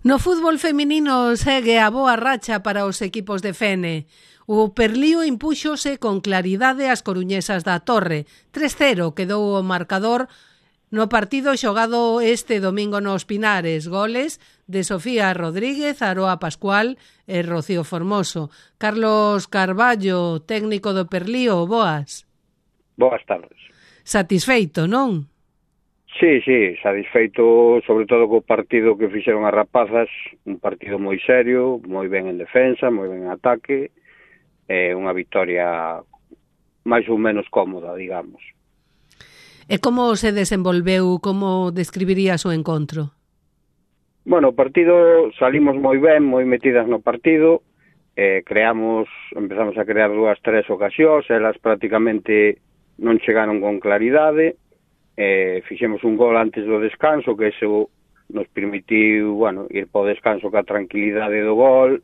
No fútbol feminino segue a boa racha para os equipos de Fene. O Perlío impúxose con claridade ás coruñesas da Torre. 3-0 quedou o marcador no partido xogado este domingo nos Pinares. Goles de Sofía Rodríguez, Aroa Pascual e Rocío Formoso. Carlos Carballo, técnico do Perlío, boas. Boas tardes. Satisfeito, non? Sí, satisfeito sobre todo co partido que fixeron as rapazas, un partido moi serio, moi ben en defensa, moi ben en ataque, unha victoria máis ou menos cómoda, digamos. E como se desenvolveu, como describirías o encontro? Bueno, o partido salimos moi ben, moi metidas no partido, empezamos a crear 2-3 ocasións, elas prácticamente non chegaron con claridade. Fixemos un gol antes do descanso, que eso nos permitiu, ir po descanso ca tranquilidade do gol,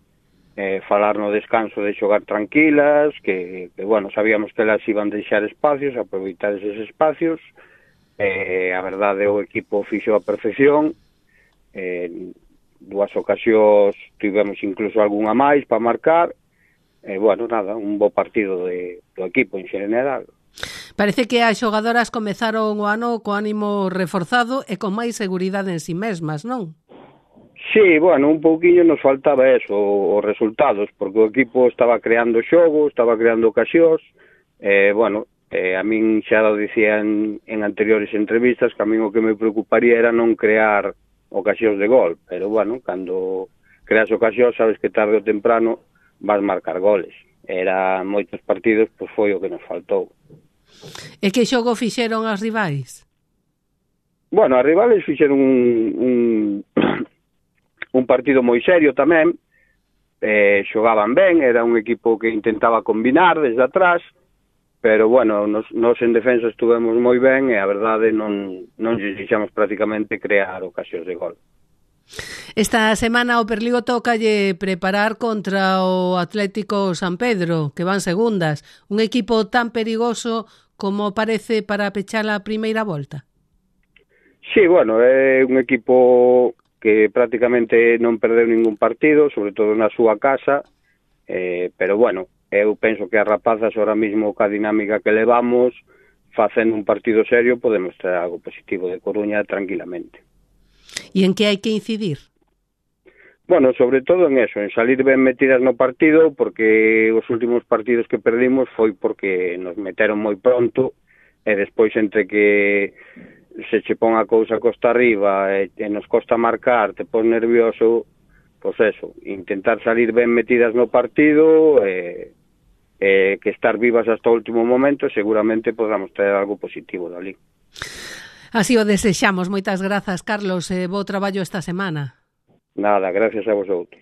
falar no descanso de xogar tranquilas, que sabíamos que elas iban deixar espacios, aproveitar eses espacios. A verdade, o equipo fixo a perfección, dúas ocasións tivemos incluso algunha máis para marcar, un bo partido do equipo en xeral. Parece que as xogadoras comezaron o ano co ánimo reforzado e con máis seguridade en si mesmas, non? Sí, un pouquiño nos faltaba eso, os resultados, porque o equipo estaba creando xogo, estaba creando ocasións, a min xa lo dicía en anteriores entrevistas que a min o que me preocuparía era non crear ocasións de gol, pero cando creas ocasións sabes que tarde ou temprano vas marcar goles. Era moitos partidos, pois foi o que nos faltou. E que xogo fixeron as rivais? As rivales fixeron un partido moi serio tamén, xogaban ben, era un equipo que intentaba combinar desde atrás, pero nos en defensa estuvemos moi ben e a verdade non deixamos prácticamente crear ocasións de gol. Esta semana o Perlío tócalle preparar contra o Atlético San Pedro, que van segundas, un equipo tan perigoso como parece para pechar a primeira volta. Sí, é un equipo que prácticamente non perdeu ningún partido, sobre todo na súa casa, pero eu penso que as rapazas ahora mismo ca dinámica que levamos, facendo un partido serio, podemos traer algo positivo de Coruña tranquilamente. E en que hai que incidir? Sobre todo en eso, en salir ben metidas no partido, porque os últimos partidos que perdimos foi porque nos meteron moi pronto, e despois entre que se che pon a cousa costa arriba e nos costa marcar, te pon nervioso, pois eso, intentar salir ben metidas no partido, que estar vivas hasta o último momento, seguramente podamos traer algo positivo dali. Así o desexamos. Moitas grazas, Carlos, e bo traballo esta semana. Nada, gracias a vosotros.